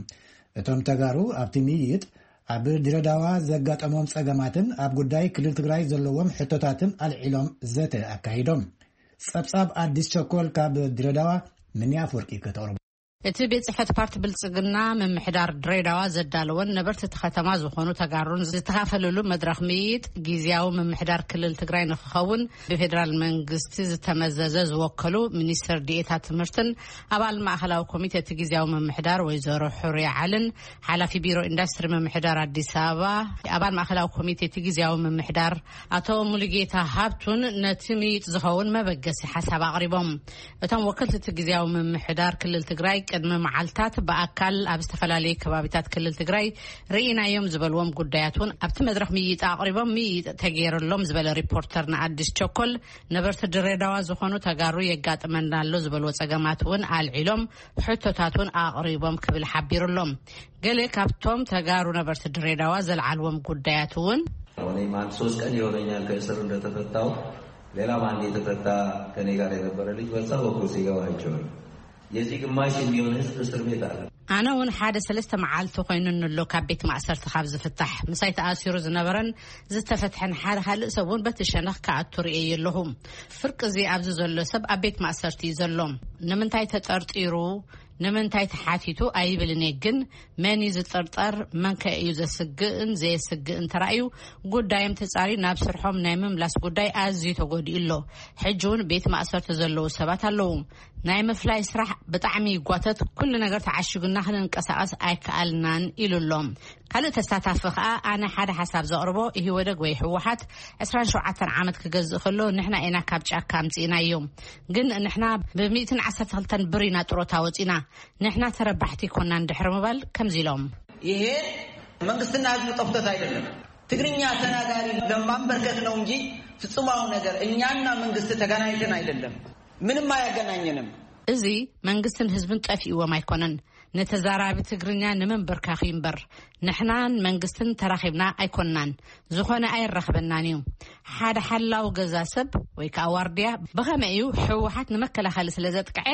እቶም ተጋሩ ኣብቲ ምይይጥ ኣብ ድሬዳዋ ዘጋጠሞም ጸገማትን ኣብ ጉዳይ ክልል ትግራይ ዘለዎም ሕቶታትን ኣልዒሎም ዘተ ኣካሂዶም። ጸብጻብ ኣዲስ ቸኮል ካብ ድሬዳዋ፣ ምንያ ኣፈወርቂ ከተቕርቦ። እቲ ቤት ጽሕፈት ፓርቲ ብልጽግና ምምሕዳር ድሬዳዋ ዘዳለወን ነበርቲ እቲ ከተማ ዝኾኑ ተጋሩን ዝተኻፈሉሉ መድረኽ ምይይጥ፣ ግዝያዊ ምምሕዳር ክልል ትግራይ ንክኸውን ብፌዴራል መንግስቲ ዝተመዘዘ ዝወከሉ ሚኒስትር ዲኤታ ትምህርትን ኣባል ማእኸላዊ ኮሚቴ እቲ ግዝያዊ ምምሕዳር ወይዘሮ ሑርያ ዓልን ሓላፊ ቢሮ ኢንዱስትሪ ምምሕዳር ኣዲስ ኣበባ ኣባል ማእኸላዊ ኮሚቴ እቲ ግዝያዊ ምምሕዳር ኣቶ ሙሉጌታ ሃብቱን ነቲ ምይይጥ ዝኸውን መበገሲ ሓሳብ ኣቕሪቦም። እቶም ወከልቲ እቲ ግዝያዊ ምምሕዳር ክልል ትግራይ ቅድሚ መዓልታት ብኣካል ኣብ ዝተፈላለዩ ከባቢታት ክልል ትግራይ ርኢናዮም ዝበልዎም ጉዳያት እውን ኣብቲ መድረኽ ምይይጥ ኣቕሪቦም፣ ምይይጥ ተገይርሎም ዝበለ ሪፖርተር ንኣዲስ ቸኮል፣ ነበርቲ ድሬዳዋ ዝኾኑ ተጋሩ የጋጥመና ኣሎ ዝበልዎ ጸገማት እውን ኣልዒሎም፣ ሕቶታት እውን ኣቕሪቦም ክብል ሓቢሩሎም። ገለ ካብቶም ተጋሩ ነበርቲ ድሬዳዋ ዘልዓልዎም ጉዳያት እውን ኣሁን አንድ ሶስት ቀን ይሆነኛል ከእስር እንደተፈታው። ሌላም አንድ የተፈታ ከኔ ጋር የነበረ ልጅ በዛ በኩል ሲገባ አይቼዋለሁ። የዚህ ግማሽ የሚሆን ህዝብ እስር ቤት አለ። ኣነ እውን ሓደ ሰለስተ መዓልቲ ኮይኑኒ ኣሎ ካብ ቤት ማእሰርቲ ካብ ዝፍታሕ። ምሳይ ተኣሲሩ ዝነበረን ዝተፈትሐን ሓደ ካልእ ሰብ እውን በቲ ሸነኽ ክኣቱ ርእየ ኣለኹ። ፍርቂ እዚ ኣብዚ ዘሎ ሰብ ኣብ ቤት ማእሰርቲ እዩ ዘሎ። ንምንታይ ተጠርጢሩ፣ ንምንታይ ተሓቲቱ ኣይብልን እየ፣ ግን መን እዩ ዝጥርጠር፣ መን ከ እዩ ዘስግእን ዘየስግእን ተራእዩ፣ ጉዳዮም ተጻርዩ ናብ ስርሖም ናይ ምምላስ ጉዳይ ኣዝዩ ተጎዲኡ ኣሎ። ሕጂ እውን ቤት ማእሰርቲ ዘለዉ ሰባት ኣለዉ። ናይ ምፍላይ ስራሕ ብጣዕሚ ይጓተት፣ ኩሉ ነገር ተዓሺጉና ክንንቀሳቐስ ኣይከኣልናን ኢሉ ኣሎ። ካልእ ተሳታፊ ከኣ፣ ኣነ ሓደ ሓሳብ ዘቕርቦ፣ ኢህወደግ ወይ ህወሓት ዕስራን ሸውዓተን ዓመት ክገዝእ ከሎ ንሕና ኢና ካብ ጫካ ኣምጺእናዮ። ግን ንሕና ብሚእትን ዓሰርተ ክልተን ብር ኢና ጥሮታ ወጺና። ንሕና ተረባሕቲ ኮናን ድሕሪ ምባል ከምዚ ኢሎም። ይሄ መንግስትና ህዝብ ጠፍቶት አይደለም። ትግርኛ ተናጋሪ ለማንበርከክ ነው እንጂ ፍጹማዊ ነገር እኛና መንግስት ተገናኝተን አይደለም። ምንም አያገናኘንም። እዚ መንግስትን ህዝብን ጠፊእዎም ኣይኮነን። ንተዛራቢ ትግርኛ ንምንብርካኽ እዩ እምበር፣ ንሕናን መንግስትን ተራኺብና ኣይኮንናን። ዝኾነ ኣየራኽበናን እዩ። ሓደ ሓላው ገዛ ሰብ ወይ ከዓ ዋርድያ ብኸመይ እዩ ህወሓት ንመከላኸሊ ስለ ዘጥቅዐ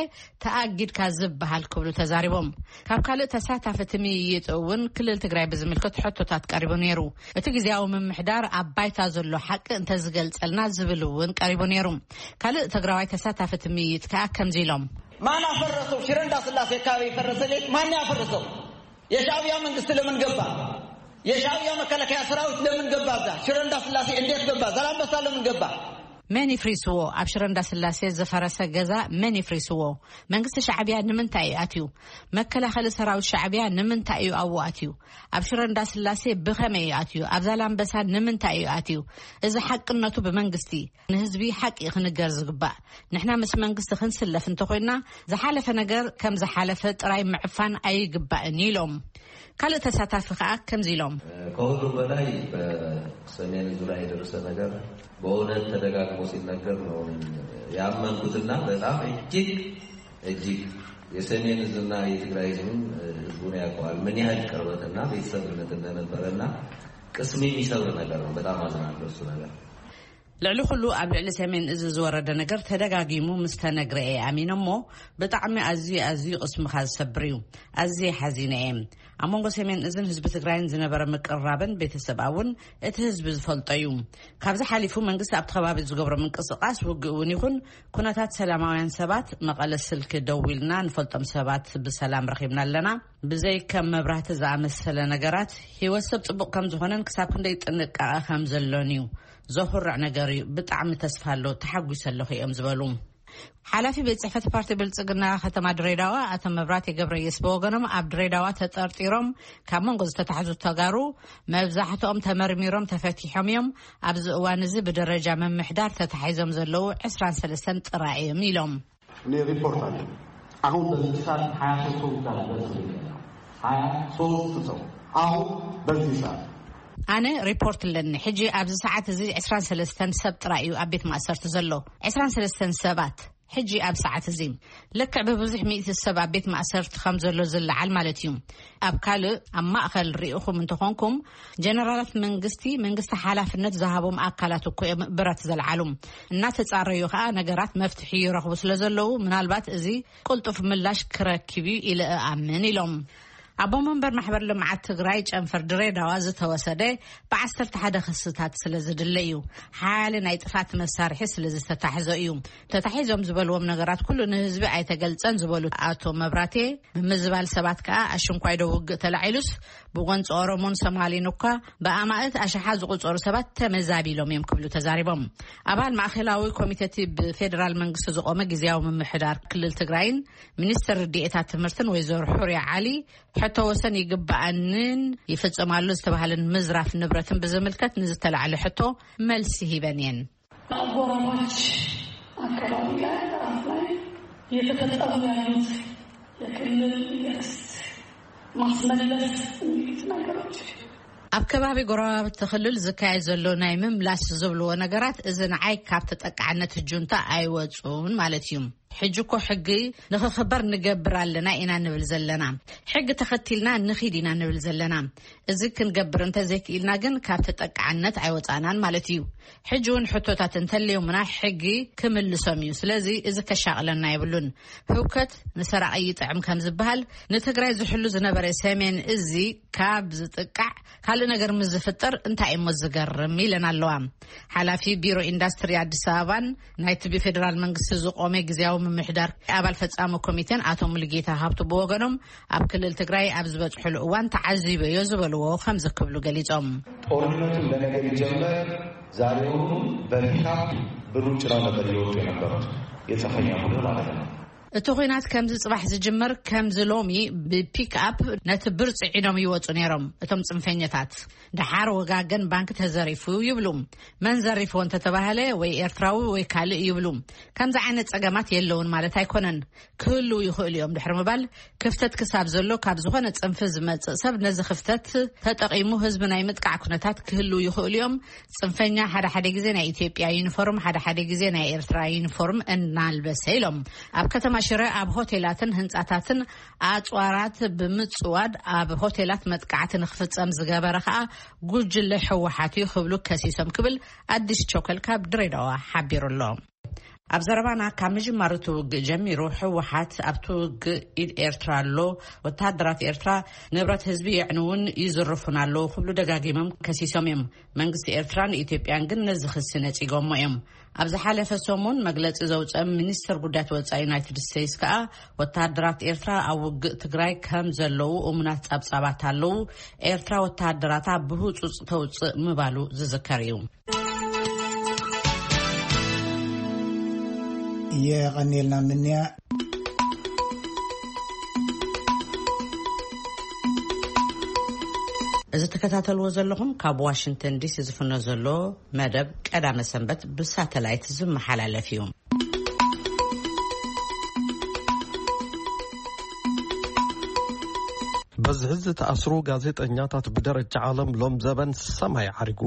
ተኣጊድካ ዝበሃል ክብሉ ተዛሪቦም። ካብ ካልእ ተሳታፊ እቲ ምይይጥ እውን ክልል ትግራይ ብዝምልከት ሕቶታት ቀሪቡ ነይሩ። እቲ ግዝያዊ ምምሕዳር ኣብ ባይታ ዘሎ ሓቂ እንተዝገልጸልና ዝብል እውን ቀሪቡ ነይሩ። ካልእ ትግራዋይ ተሳታፊ እቲ ምይይጥ ከዓ ከምዚ ኢሎም። ማን አፈረሰው? ሽረ እንዳስላሴ አካባቢ የፈረሰ ቤት ማን ያፈረሰው? የሻዕቢያ መንግስት ለምን ገባ? የሻዕቢያ መከላከያ ሰራዊት ለምን ገባ? እዛ ሽረ እንዳስላሴ እንዴት ገባ? ዛላምበሳ ለምን ገባ? መን ይፍሪስዎ? ኣብ ሽረ እንዳስላሴ ዝፈረሰ ገዛ መን ይፍሪስዎ? መንግስቲ ሻዕቢያ ንምንታይ እዩ ኣትዩ? መከላኸሊ ሰራዊት ሻዕቢያ ንምንታይ እዩ ኣብኡ ኣትዩ? ኣብ ሽረ እንዳስላሴ ብኸመይ እዩ ኣትዩ? ኣብ ዛላምበሳ ንምንታይ እዩ ኣትዩ? እዚ ሓቅነቱ ብመንግስቲ ንህዝቢ ሓቂ ክንገር ዝግባእ። ንሕና ምስ መንግስቲ ክንስለፍ እንተኾይና፣ ዝሓለፈ ነገር ከም ዝሓለፈ ጥራይ ምዕፋን ኣይግባእን ኢሎም። ካልእ ተሳታፊ ከኣ ከምዚ ኢሎም። ከሁሉም በላይ በሰሜን እዙ ላይ የደረሰ ነገር በእውነት ተደጋግሞ ሲነገር ነው ያመንኩትና በጣም እጅግ እጅግ የሰሜን እዝና የትግራይ ህዝብም ህዝቡን ያውቀዋል ምን ያህል ቅርበትና ቤተሰብነት እንደነበረና ቅስም የሚሰብር ነገር ነው። በጣም አዝናለሁ እሱ ነገር። ልዕሊ ኩሉ ኣብ ልዕሊ ሰሜን እዚ ዝወረደ ነገር ተደጋጊሙ ምስ ተነግረ እየ ኣሚነ እሞ ብጣዕሚ ኣዝዩ ኣዝዩ ቅስምኻ ዝሰብር እዩ። ኣዝየ ሓዚነ እየ። ኣብ መንጎ ሰሜን እዝን ህዝቢ ትግራይን ዝነበረ ምቅርራብን ቤተሰብ እውን እቲ ህዝቢ ዝፈልጦ እዩ። ካብዚ ሓሊፉ መንግስቲ ኣብቲ ከባቢ ዝገብሮ ምንቅስቃስ ውግእ እውን ይኹን ኩነታት ሰላማውያን ሰባት መቐለ ስልኪ ደዊልና ንፈልጦም ሰባት ብሰላም ረኺብና ኣለና። ብዘይ ከም መብራህቲ ዝኣመሰለ ነገራት ህይወት ሰብ ጽቡቕ ከም ዝኾነን ክሳብ ክንደይ ጥንቃቐ ከም ዘሎን እዩ። ዘኹርዕ ነገር እዩ። ብጣዕሚ ተስፋ ኣሎ፣ ተሓጒሰ ኣለኹ እዮም ዝበሉ። ሓላፊ ቤት ጽሕፈት ፓርቲ ብልጽግና ከተማ ድሬዳዋ ኣቶ መብራቴ ገብረየስ ብወገኖም ኣብ ድሬዳዋ ተጠርጢሮም ካብ መንጎ ዝተታሕዙ ተጋሩ መብዛሕትኦም ተመርሚሮም ተፈቲሖም እዮም። ኣብዚ እዋን እዚ ብደረጃ ምምሕዳር ተታሒዞም ዘለዉ ዕስራን ሰለስተን ጥራይ እዮም ኢሎም። እኔ ሪፖርት አለ። አሁን በዚህ ሰዓት ሃያ ሶስት ሰው ብቻ ነው በእስር ቤት ያለው። ሃያ ሶስት ሰው አሁን በዚህ ሰዓት። ኣነ ሪፖርት ኣለኒ። ሕጂ ኣብዚ ሰዓት እዚ ዕስራን ሰለስተን ሰብ ጥራይ እዩ ኣብ ቤት ማእሰርቲ ዘሎ። ዕስራን ሰለስተን ሰባት። ሕጂ ኣብ ሰዓት እዚ ልክዕ ብብዙሕ ሚእቲ ሰብ ኣብ ቤት ማእሰርቲ ከም ዘሎ ዝለዓል ማለት እዩ። ኣብ ካልእ፣ ኣብ ማእከል ርኢኹም እንተኾንኩም፣ ጀነራላት መንግስቲ፣ መንግስቲ ሓላፍነት ዝሃቦም ኣካላት እኮ እዮም ብረት ዘልዓሉ። እናተጻረዩ ከኣ ነገራት መፍትሒ ይረኽቡ ስለ ዘለዉ፣ ምናልባት እዚ ቅልጡፍ ምላሽ ክረክብ እዩ ኢለ እኣምን ኢሎም። ኣቦ መንበር ማሕበር ልምዓት ትግራይ ጨንፈር ድሬዳዋ ዝተወሰደ ብዓሰርተ ሓደ ክስታት ስለ ዝድለ እዩ። ሓያለ ናይ ጥፋት መሳርሒ ስለ ዝተታሕዞ እዩ። ተታሒዞም ዝበልዎም ነገራት ኩሉ ንህዝቢ ኣይተገልጸን ዝበሉ ኣቶ መብራቴ፣ ምምዝባል ሰባት ከኣ ኣሽንኳይ ዶ ውግእ ተላዒሉስ ብጎንፂ ኦሮሞን ሶማሌን እኳ ብኣማእት ኣሽሓት ዝቑጸሩ ሰባት ተመዛቢሎም እዮም ክብሉ ተዛሪቦም። ኣባል ማእከላዊ ኮሚቴ እቲ ብፌዴራል መንግስቲ ዝቖመ ግዝያዊ ምምሕዳር ክልል ትግራይን ሚኒስትር ርድኤታት ትምህርትን ወይዘሮ ሑርያ ዓሊ ሕቶ ወሰን ይግባኣንን ይፍጸማሉ ዝተባህለን ምዝራፍ ንብረትን ብዝምልከት ንዝተላዕለ ሕቶ መልሲ ሂበን እየን። ኣጎራባች ኣካባቢ ላይ ራፍ ላይ የተፈጸሙ ያሉት የክልል የክስት ማስመለስ የሚሉት ነገሮች ኣብ ከባቢ ጎረባብቲ ክልል ዝካየድ ዘሎ ናይ ምምላስ ዝብልዎ ነገራት፣ እዚ ንዓይ ካብ ተጠቃዕነት ጁንታ ኣይወፁን ማለት እዩ። ሕጂ እኮ ሕጊ ንኽኽበር ንገብር ኣለና ኢና ንብል ዘለና። ሕጊ ተኸቲልና ንኺድ ኢና ንብል ዘለና። እዚ ክንገብር እንተዘይክኢልና ግን ካብ ተጠቃዕነት ኣይወፃናን ማለት እዩ። ሕጂ እውን ሕቶታት እንተለዮምና ሕጊ ክምልሶም እዩ። ስለዚ እዚ ከሻቕለና የብሉን። ህውከት ንሰራቒ ይጥዕም ከም ዝበሃል፣ ንትግራይ ዝሕሉ ዝነበረ ሰሜን እዚ ካብ ዝጥቃዕ ካልእ ነገር ምስ ዝፍጠር እንታይ እሞ ዝገርም ኢለን ኣለዋ። ሓላፊ ቢሮ ኢንዳስትሪ ኣዲስ ኣበባን ናይቲ ብፌዴራል መንግስቲ ዝቆመ ግዝያዊ ምምሕዳር ኣባል ፈጻሚ ኮሚቴን ኣቶ ሙሉጌታ ሃብቱ ብወገኖም፣ ኣብ ክልል ትግራይ ኣብ ዝበጽሕሉ እዋን ተዓዚበዮ ዝበልዎ ከምዚ ክብሉ ገሊጾም። ጦርነቱ ለነገ ሊጀመር ዛሬውኑ በፒካፕ ብሩጭራው ነበር እየወጡ የነበሩት የጽንፈኛ ቡድን ማለት ነው። እቲ ኹናት ከምዚ ጽባሕ ዝጅመር፣ ከምዚ ሎሚ ብፒክኣፕ ነቲ ብር ጽዒኖም ይወጹ ነይሮም እቶም ጽንፈኛታት። ደሓር ወጋገን ባንክ ተዘሪፉ ይብሉ። መን ዘሪፍዎ እንተተባህለ ወይ ኤርትራዊ ወይ ካልእ ይብሉ። ከምዚ ዓይነት ጸገማት የለውን ማለት ኣይኮነን። ክህልው ይኽእሉ እዮም ድሕሪ ምባል፣ ክፍተት ክሳብ ዘሎ ካብ ዝኾነ ጽንፊ ዝመጽእ ሰብ ነዚ ክፍተት ተጠቒሙ ህዝቢ ናይ ምጥቃዕ ኩነታት ክህልው ይኽእሉ እዮም። ጽንፈኛ ሓደ ሓደ ግዜ ናይ ኢትዮጵያ ዩኒፎርም፣ ሓደ ሓደ ግዜ ናይ ኤርትራ ዩኒፎርም እናልበሰ ኢሎም። ኣብ ከተማ ሽረ ኣብ ሆቴላትን ህንጻታትን ኣጽዋራት ብምጽዋድ ኣብ ሆቴላት መጥቃዕቲ ንክፍጸም ዝገበረ ከኣ ጉጅለ ህወሓት እዩ ክብሉ ከሲሶም ክብል ኣዲስ ቸኮል ካብ ድሬዳዋ ሓቢሩ ኣሎ። ኣብ ዘረባና፣ ካብ ምጅማር እቲ ውግእ ጀሚሩ ህወሓት ኣብቲ ውግእ ኢድ ኤርትራ ኣሎ፣ ወተሃደራት ኤርትራ ንብረት ህዝቢ የዕንውን ይዝርፉን ኣለዉ ክብሉ ደጋጊሞም ከሲሶም እዮም። መንግስቲ ኤርትራን ኢትዮጵያን ግን ነዚ ክሲ ነጺጎሞ እዮም። ኣብ ዝሓለፈ ሰሙን መግለጺ ዘውጸ ሚኒስትር ጉዳያት ወጻኢ ዩናይትድ ስቴትስ ከኣ፣ ወተሃደራት ኤርትራ ኣብ ውግእ ትግራይ ከም ዘለዉ እሙናት ጸብጻባት ኣለዉ፣ ኤርትራ ወተሃደራታ ብህጹጽ ተውጽእ ምባሉ ዝዝከር እዩ። የቐንየልና ምንያ። እዚ ትከታተልዎ ዘለኹም ካብ ዋሽንግተን ዲሲ ዝፍኖ ዘሎ መደብ ቀዳመ ሰንበት ብሳተላይት ዝመሓላለፍ እዩ። በዝሒ ዝተኣስሩ ጋዜጠኛታት ብደረጃ ዓለም ሎም ዘበን ሰማይ ዓሪጉ።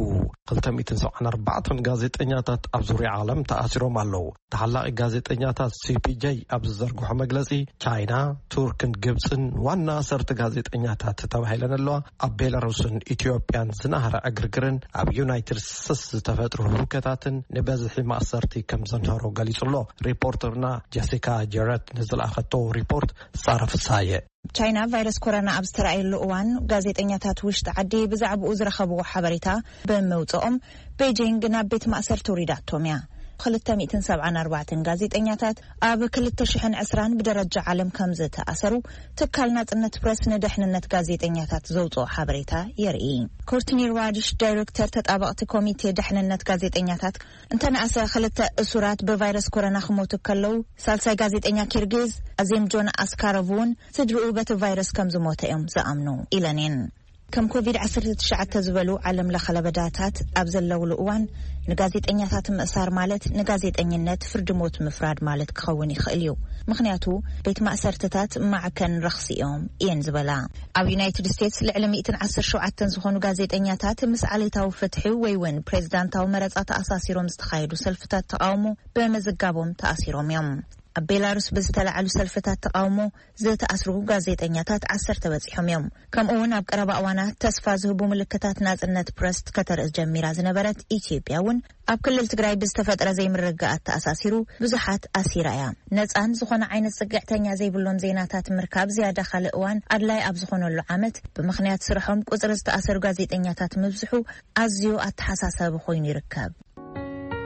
ክልተ ሚእትን ሰብዓን ኣርባዕተን ጋዜጠኛታት ኣብ ዙርያ ዓለም ተኣሲሮም ኣለዉ። ተሓላቒ ጋዜጠኛታት ሲ ፒ ጄ ኣብ ዝዘርግሖ መግለጺ፣ ቻይና፣ ቱርክን ግብጽን ዋና ኣሰርተ ጋዜጠኛታት ተባሂለን ኣለዋ። ኣብ ቤላሩስን ኢትዮጵያን ዝናህረ ዕግርግርን ኣብ ዩናይትድ ስቴትስ ዝተፈጥሩ ህውከታትን ንበዝሒ ማእሰርቲ ከም ዘንሃሮ ገሊጹ ኣሎ። ሪፖርተርና ጀሲካ ጀረት ንዝለኣኸቶ ሪፖርት ሳራ ፍሳየ። ቻይና ቫይረስ ኮሮና ኣብ ዝተራእየሉ እዋን፣ ጋዜጠኛታት ውሽጢ ዓዲ ብዛዕባኡ ዝረኸብዎ ሓበሬታ ብምውጽኦም፣ ቤጂንግ ናብ ቤት ማእሰርቲ ውሪዳቶም እያ። ክልተ ሚእትን ሰብዓን ኣርባዕተን ጋዜጠኛታት ኣብ ክልተ ሽሕን ዕስራን ብደረጃ ዓለም ከም ዝተኣሰሩ፣ ትካል ናጽነት ፕረስ ንደሕንነት ጋዜጠኛታት ዘውጽኦ ሓበሬታ የርኢ። ኮርትኒ ራድሽ፣ ዳይሬክተር ተጣበቕቲ ኮሚቴ ደሕንነት ጋዜጠኛታት፣ እንተነኣሰ ክልተ እሱራት ብቫይረስ ኮሮና ክሞቱ ከለዉ፣ ሳልሳይ ጋዜጠኛ ኪርጊዝ ኣዜምጆን ኣስካሮቭ እውን ስድርኡ በቲ ቫይረስ ከም ዝሞተ እዮም ዝኣምኑ ኢለን እየን። ከም ኮቪድ ዓሰርተ ትሽዓተ ዝበሉ ዓለም ለኸ ለበዳታት ኣብ ዘለውሉ እዋን፣ ንጋዜጠኛታት ምእሳር ማለት ንጋዜጠኝነት ፍርዲ ሞት ምፍራድ ማለት ክኸውን ይኽእል እዩ። ምኽንያቱ፣ ቤት ማእሰርትታት ማዕከን ረኽሲ እዮም እየን ዝበላ። ኣብ ዩናይትድ ስቴትስ ልዕሊ ሚእትን ዓሰርተ ሸውዓተን ዝኾኑ ጋዜጠኛታት ምስ ዓሌታዊ ፍትሒ ወይ እውን ፕሬዚዳንታዊ መረፃ ተኣሳሲሮም ዝተኻየዱ ሰልፍታት ተቃውሞ ብምዝጋቦም ተኣሲሮም እዮም። ኣብ ቤላሩስ ብዝተላዓሉ ሰልፍታት ተቃውሞ ዝተኣስሩ ጋዜጠኛታት ዓሰርተ በፂሖም እዮም። ከምኡ እውን ኣብ ቀረባ እዋናት ተስፋ ዝህቡ ምልክታት ናፅነት ፕረስ ከተርኢ ጀሚራ ዝነበረት ኢትዮጵያ እውን ኣብ ክልል ትግራይ ብዝተፈጥረ ዘይምርግጋኣት ተኣሳሲሩ ብዙሓት ኣሲራ እያ። ነፃን ዝኾነ ዓይነት ፅግዕተኛ ዘይብሎም ዜናታት ምርካብ ዝያዳ ካልእ እዋን ኣድላይ ኣብ ዝኾነሉ ዓመት፣ ብምኽንያት ስርሖም ቁፅሪ ዝተኣሰሩ ጋዜጠኛታት ምብዝሑ ኣዝዩ ኣተሓሳሳቢ ኮይኑ ይርከብ።